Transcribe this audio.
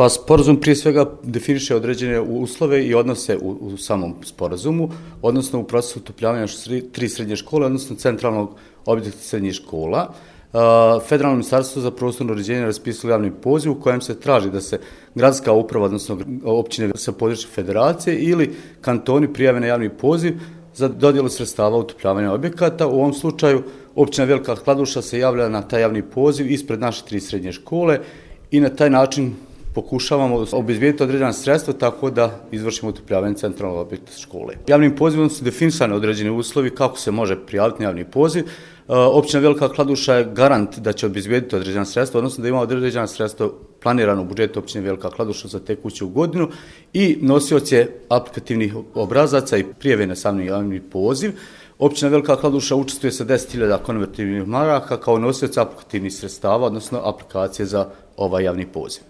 Pa sporazum prije svega definiše određene uslove i odnose u samom sporazumu, odnosno u procesu utopljavanja 3 srednje škole, odnosno centralnog objekta srednjih škola. Federalno ministarstvo za prostorno uređenje raspisalo javni poziv u kojem se traži da se gradska uprava, odnosno općine sa područja federacije ili kantoni prijave na javni poziv za dodjelu sredstava utopljavanja objekata. U ovom slučaju općina Velika Kladuša se javlja na taj javni poziv ispred naše 3 srednje škole i na taj način pokušavamo obezbijediti određena sredstva tako da izvršimo utopljavanje centralnog objekta škole. Javnim pozivom su definisani određeni uslovi kako se može prijaviti na javni poziv. Općina Velika Kladuša je garant da će obezbijediti određena sredstva, odnosno da ima određena sredstva planirano u budžetu općine Velika Kladuša za tekuću godinu i nosioc je aplikativnih obrazaca i prijave na sami javni poziv. Općina Velika Kladuša učestvuje sa 10.000 konvertibilnih maraka kao nosioc aplikativnih sredstava, odnosno aplikacije za ovaj javni poziv.